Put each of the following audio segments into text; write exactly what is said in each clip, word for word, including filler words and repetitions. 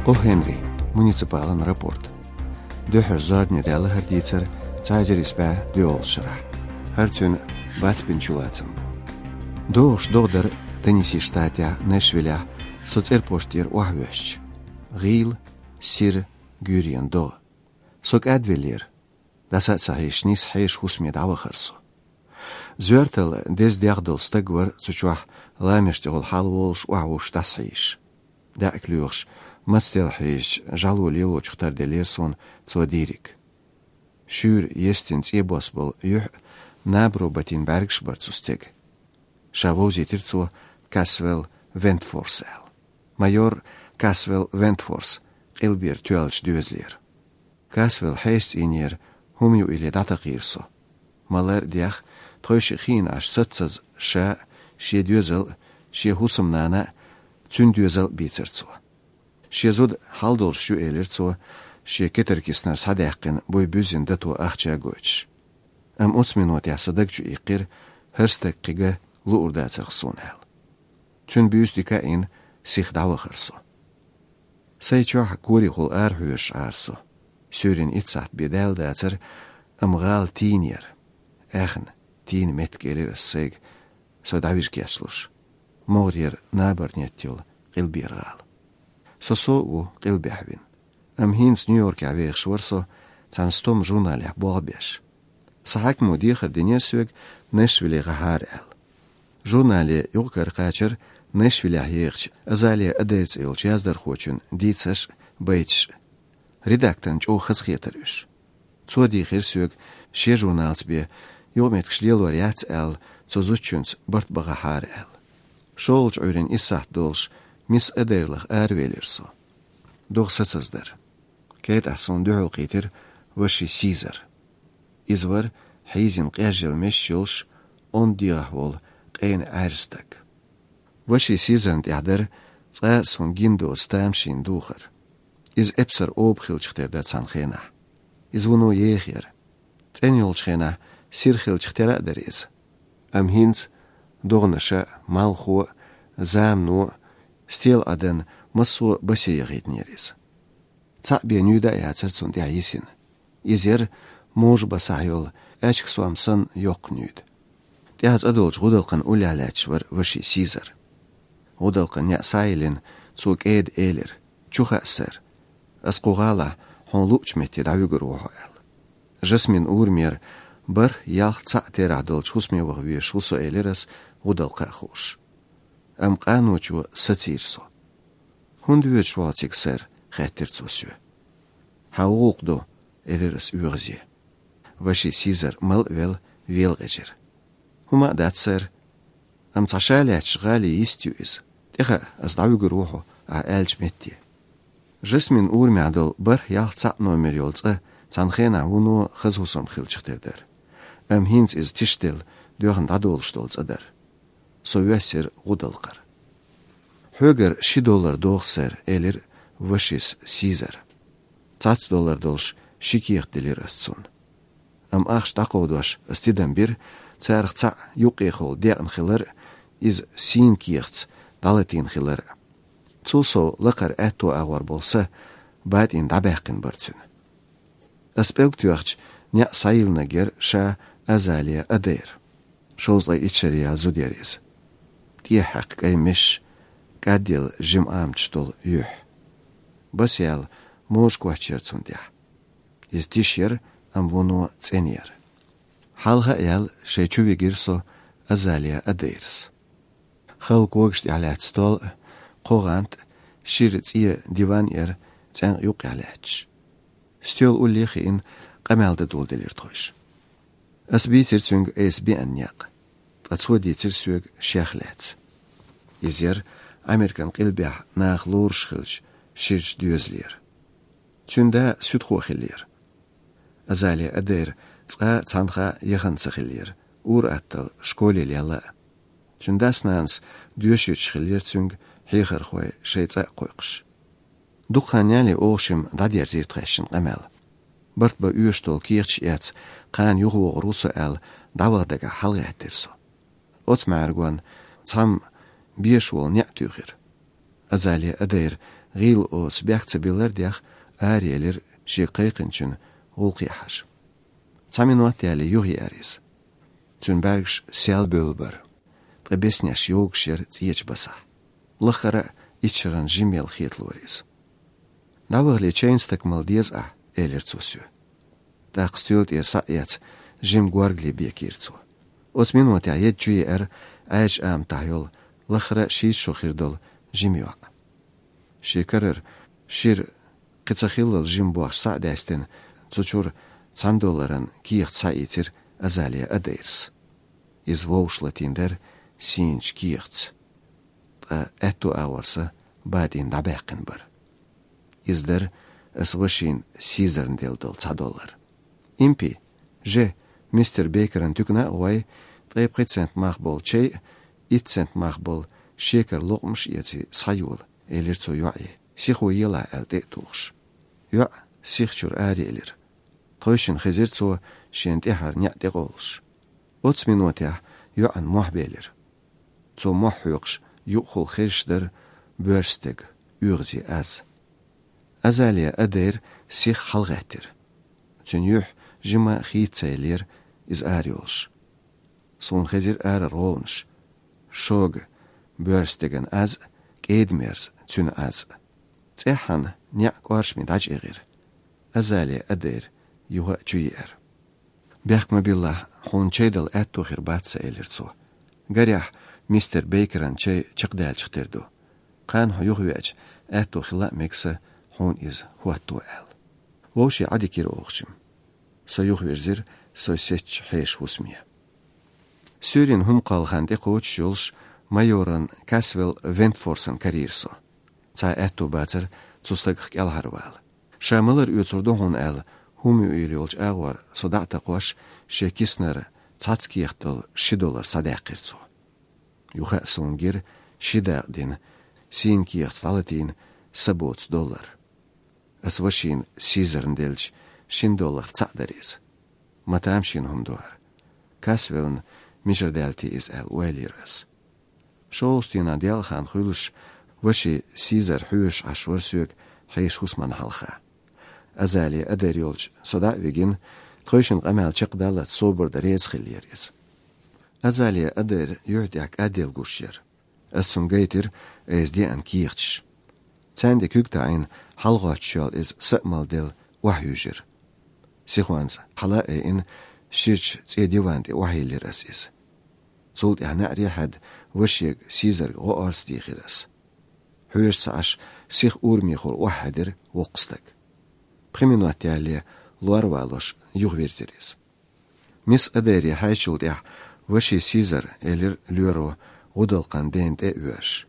О Хенри, муниципалан рапорт. Дуьххьара зорбане даьлла хӀара дийцар цхьа эзар исс бӀаь доьалгӀачу шарахь. ХӀара цуьнан бацбина чулацам бу. ДогӀуш догӀа дара Теннесси штатехь, Нэшвиллехь, со цӀерпошт тӀера охьавоьссича. ГӀийла, сира, гуьйренан догӀа. Со кӀадвеллера. ДӀаса а ца хьийзаш, нийсса хьеша хӀусаме дӀавахара со. Зоьртала деза дегӀ долу стаг вара цу чохь, ламеш тӀехула хьалаволуш, охьавуссуш дӀасахьийзаш. ДаьӀахк лоьхуш, мацделла хьийзачу жӀало лелочух тарделлера суна цо дийриг. Шуьйра естина цӀе бос болу юьхь а, набаро батийна бӀаьргаш а бара цу стеган. Ша вовзийтира цо Касвелл Вентфорс аьлла. Майор Касвелл Вентфорс, къилбера тоьллачу доьзалера. Касвелл хьеша цӀийнера, хӀума юийла дӀатакхийра со. Малар а дех, тхойшиъ хиъна Ӏаш саццаза ша а, шен доьзал а, шен хӀусамнана а, цуьнан доьзал а бийцира цо. Шен зуда хьал долуш ю, элира цо, шен кетаркиснара схьадаьккхина буй буьззина дато ахча а гойтуш. Амма оцу минотехь сан даг чу иккхира, хӀара стаг кхин луур дацарх суна аьлла. Цуьнан буьйса дика а йина, сиха дӀавахара со. Сайн чохь корехула арахьоьжуш Ӏара со. Суьйранна итт сахьт бен даьлла дацара, амма гӀала тийна яра. Аьхна тийна меттиг, элира ас сайга, со дӀавижа кечлуш. МогӀарера набарнетта йолу къилбера гӀала. Со сов а ву къилбехь вина. Амма хӀинца Нью-Йоркехь вехаш вара со, цхьана стомма журналехь болх беш. Сан хьаькамо дехар динера соьга Нэшвилле гӀахьара аьлла. Журнале юкъ-кара кхачара Нэшвиллехь ехачу Азалия Адейр цӀе йолчу яздархочун дийцарш а, байташ а. Редакторна чӀогӀа хазахетара уьш. Цо дийхира соьга, шен журналца бен юкъаметтигаш лелор яц аьлла, цу зудчуьнца барт бан гӀахьара аьлла. ШолгӀачу Ӏуьйранна исс сахьт долуш Мисс Адейр лаха аравелира со. ДогӀа сацаза дара. КӀеда тӀехь суна дуьхьал кхийтира ваши Сизар. Иза вара хьийзина къежъелла месаш йолуш, онда дегӀахь волу къена Ӏаьржа стаг. Ваши Сизарна тӀехь дара цкъа а суна гина доцу тамашийна духар. Иза эпсар оба хиллачух тера дара цхьана хенахь. Иза вуно еха яра. ЦӀена йолчу хенахь сира хиллачух тера а дара иза. Амма хӀинца догӀанаш а, малхо а, замано а, стелан Ӏадан массо а басе яхийтинера иза. Цхьаъ бен нуьйда а яцара цунна тӀехь йисина. Иза яра можа басахь йолу аьчка сом санна йоккха нуьйда. ТӀехь цӀа долчу гӀудалкхан уллехь лаьтташ вара ваши Сизар. ГӀудалкхан неӀ схьайиллина, цо кӀеда элира: «Чу хаьа, сэр. Ас кху гӀалахь хьуна луучу метте дӀавуьгур ву хьо», — аьлла. Жасмин урамера бархӀ, ялх, цхьаъ терахь долчу хӀусаме ваха везаш ву со, элира ас, гӀудалкха а хууш. Амма къаночо сацийра со. «ХӀунда воьдуш ву хьо цига, сэр?» — хаьттира цо соь. «Хьан ву гӀуллакх ду», — элира ас оьгӀазе. Ваши Сизар мала а велла, велакъежира. «ХӀума а дац, сэр. Амма цхьа ша лаьтташ гӀали йист ю иза. ТӀехаа ас дӀавуьгур ву хьо ахь аьллачу метте». Жасмин урамехь долу бархӀ, ялх, цхьаъ номер йолу цӀа цхьана хенахь вуно хаза хӀусам хиллачух тера дара. Амма хӀинца иза тишделла, доьхна дӀадолуш долу цӀа дара. Со воьссира гӀудалкхара. «Хьоьгара ши доллар догӀу, сэр», — элира вашис Сизар. Цхьацца доллар долуш ши кехат делира ас цунна. Амма ахча дӀакховдош ас тидам бира, царах цхьаъ юккъехула декъна хилар а, иза сийна кехатца дӀалатийна хилар а. Цул сов лакхара аьтто агӀор болу са батӀийна дӀабаьккхина бара цуьнан. Ас пӀелг тоьхча, неӀ схьайиллинарг яра ша Азалия Адейр. Шовзткъе итт шаре яьлла зуда яра иза. ТӀехьа хьаькхна кӀайн месаш, кӀадъелла жимаӀамташ долу юьхь. Басаяьлла можа коч яра цунна тӀехь. Иза тиша яра, амма вуно цӀена яра. Хьалха а яьлла, шайн чу вигира со Азалия Адейрас. Хала когаш тӀехь лаьтта стол а, кхо гӀант а, шира цӀен диван а яра цӀенкъа юккъехь лаьтташ. Стоьла улле а хиъна, къамел дан доладелира тхойша. Ас бийцира цуьнга айса беана некъ, ткъа цо дийцира соьга шех лаьцна. Иза яра Американ къилбехь наха лоруш хиллачу ширачу доьзалера. Цуьнан да суьдхо хиллера. Азалия Адейр цкъа а цхьанхьа а яхана ца хиллера, ур-атталла школе лелла а. Цуьнан дас-нанас доьшуьйтуш хиллера цуьнга хьехархой шайн цӀа а кхойкхуш. Дукха хан ялале оха шимма дӀадерзийра тхаьшшинна къамел. Барт бан оьшуш долу кехаташ эцна, кхана юхавогӀур ву со аьлла, дӀаваха дагахь хьалагӀаьттира со. Оцу маьӀаргонна цхьамма беша волу неӀ туьйхира. Азалия Адейр ГӀийла оцу бехк ца биллар дех, араелира шега кхайкхинчун гӀуллакхе хьажа. Цхьа минот яьлча юхаеара иза. Цуьнан бӀаьргаш сел бевллабара. Ткъа беснеш йогуш яра цӀечу басахь. Лаххара а итт шарна жима яла хеталора иза. «ДӀавахале, чайна стакан мала деза ахь», — элира цо соьга. ТӀаккха стоьла тӀера схьа а эцна, жима горгали бекийра цо. Оцу минотехь едда чу еара Ӏаьржачу аматахь йолу, лаххара а шийтта шо хир долу жима йоӀ. Шен карара шира кхин ца хиллал жима бохча схьа а даьстина, цу чуьра цхьана долларан кехат схьаийцира Азалия Адайрас. Иза вовшах латийна дара сийначу кехатца. Ткъа аьтту агӀор сан бадийна дӀабаьккхина бара. Иза дара аса вашина Сизарна делла долу цхьа доллар. «Импи, же, мистер Бейкеран туькана а гӀой, ткъе пхи цент мах болу чай а, итт цент мах болу шекар локъмаш а эций, схьайола», — элира цо йоӀе, сихо елахь аьлла тӀе а тухуш. ЙоӀ сиха чуьра араелира. Тхойшинна хезира цо шена тӀаьхьара неӀ тӀекъовлуш. Оцу минотехь йоӀана мохь белира. Цо мохь хьоькхуш юкъахула хезаш дара боьрша стеган оьгӀазе аз. Азалия Адайр сиха хьалагӀаьттира. Цуьнан юьхь жима хийца ца еллера иза арайолуш. Суна хезира арара гӀовгӀанаш. Шога боьрша стеган аз а, кӀеда-мерза цуьнан аз а. ЦӀеххьана неӀ кӀоршаме дӀачӀагӀира. Азалия Адайр юха а чу еара. «Бехк ма биллахь, хьуна чай дала аьтту хир бац сан», — элира цо. «Гарехь, мистер Бейкеран чай чекхдаьллачух тера ду. Кхана хьо юхавеача, аьтту хила а мега сан хьуна иза хӀотто аьлла». Вовшийн Ӏадика йира оха жима. Со юхавирзира со сецначу хьешан хӀусаме. Суьйрана хӀума кхолла хан тӀекхочуш йолуш майоран Касвелл Вентфорсан карийра со. Цхьа аьтту бацара цу стагах кӀелхьарвала. Ша малар оьцур ду хьуна аьлла, хӀума юийла йолчу агӀор со дӀа а такхош, шен киснара цхьацца кехат долу ши доллар схьадаьккхира цо. Юха а суна гира ши дакъа дина, сийна кехатца дӀалатийна, са боцу доллар. Аса вашина Сизарна деллачу шина долларх цхьаъ дара иза. Ма тамашийна хӀума ду хӀара. Касвеллна мичара даьлла те иза аьлла ойла йира аса. ШолгӀачу дийнахь делкъа хан хуьлуш, ваши Сизар хьоьжуш Ӏаш вара соьга хьешан хӀусамна хьалха. Азалия Адайр йолчу со дӀа а вигина, тхойшинна къамел чекхдаллалц собар дан реза хиллера иза. Азалия Адайр юьхь тӀехь кӀадделла гуш яра. Аса цунна гайтира айса деана кехаташ. Царна тӀе куьг таӀийна, хьалагӀоттуш йолу иза са а малделла охьаюьжира. Сихонца хьала а айина, ширачу цӀен диван тӀе охьайиллира аса иза. Цул тӀаьхьа неӀаре хьаьдда вашега Сизарга гӀо-орца дийхира аса. Хьоьжуш ца Ӏаш, сиха урамехула охьахьаьдира воккха стаг. Пхи минот яьлле лор а валош юхавирзира иза. «Мисс Адайре хьаьжчул тӀаьхьа ваши Сизар», — элира лоьро, гӀудалкхан дена тӀе а воьжуш.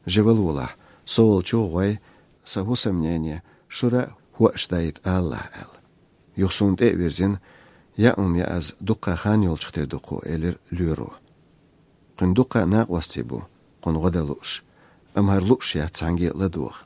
«Жа вала волахь, со волчу а гӀой, сан хӀусамнене шура а хӀоаш дайта алалахь», — аьлла. Юха суна тӀе а вирзина: «Яа хӀума яа аз, дуккха хан йолчух тера ду кху», — элира лоьро. «Кхуьнан дуккха а накъостий бу, кхунна гӀо дан лууш, амма хӀара лууш яц цхьаьнгге а ладогӀа».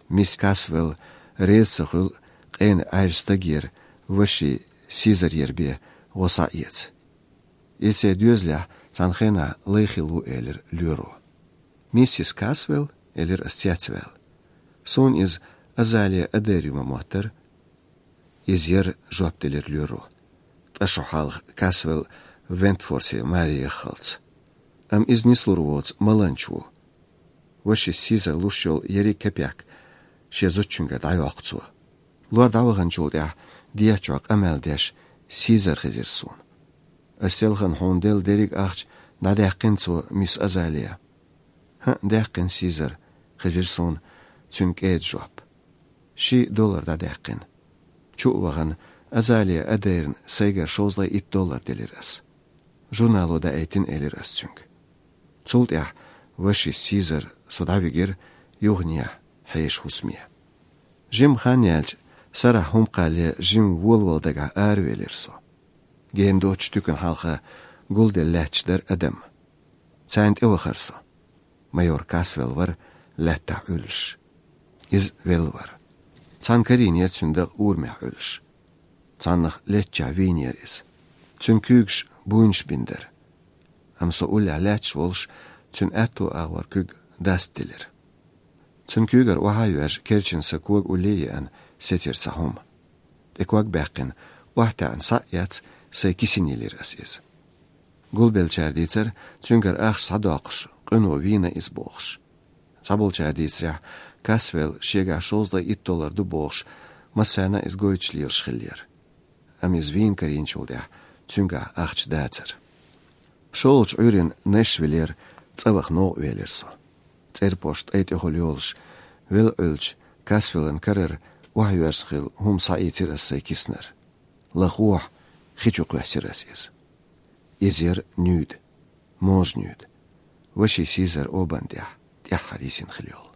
Мисс Касвелл реза ца хуьлу къена Ӏаьржа стагера ваши Сизарера бен гӀо схьаэца. «Иза церан доьзалехь цхьана хенахь лай хилла ву», — элира лоьро. «Миссис Касвелл?» — элира ас цецваьлла. «Суна иза Азалия Адайр ю ма моттара». «Иза яра», — жоп делира лоьро. «Ткъа шо хьалха Касвелл Вентфорсе маре яххалц. Амма иза нислур воцу маланча ву. Ваши Сизар луш йолу ерриг кепек шен зудчуьнгара дӀайоккху цо». Лор дӀаваханчул тӀаьхьа дехьа чохь къамел деш Сизар хезира суна. «Ас селхана хьуна делла дерриг ахча дӀадаьккхина цо, мисс Азалия?» «ХӀаъ, даьккхина, Сизар», — хезира суна цуьнан кӀеда жоп. «Ши доллар дӀадаьккхина». Чу а вахана, Азалия Адайрна сайгара шовзткъе итт доллар делира ас. «Журнало даийтина», — элира ас цуьнга. Цул тӀаьхьа ваши Сизар со дӀавигира юханехьа хьешан хӀусаме. Жимма хан яьлча, сарахь хӀума кхалле жимма волавала дагахь аравелира со. Гена доцчу туькана хьалха гулделла лаьтташ дара адам. Царна тӀевахара со. Майор Касвелл вара лаьттахь Ӏуьллуш. Иза велла вара. Цхьана карийнера цуьнан дакъа урамехь Ӏуьллуш. Цхьаннах леттачохь вийнера иза. Цуьнан куьйгаш буйнаш бина дара. Амма со уллехь лаьтташ волуш, цуьнан аьтту агӀор куьг дастделира. Цун куьйгара охьа а йоьжна, керчина сан кога улле а еана, сецира цхьа хӀума. ТӀе ког баьккхина, охьатаьӀна схьа а эцна, сай кисина йиллира ас иза. Гулбеллачара дийцар, цуьнгара ахча схьадоккхуш, къуьно вийна иза бохуш. Цхьаболчара дийцарехь, Касвелла шегахь шовзткъе итт доллар ду бохуш, массарна а иза гойтуш лелаш хиллера. Амма иза вийна карийначул тӀаьхьа цуьнгахь ахча дацара. ШолгӀачу Ӏуьйранна Нэшвиллера цӀа ваха новкъа велира со. ЦӀерпошт тӀай тӀехула йолуш, велла Ӏуьллучу Касвеллан карара охьайоьжна хилла хӀума схьаийцира ас сай киснара. Лахахь, хи чу кхоьссира ас иза. Иза яра нуьйда, можа нуьйда, ваши Сизар обан тӀехь, тӀаьххьара йисина хилла йолу.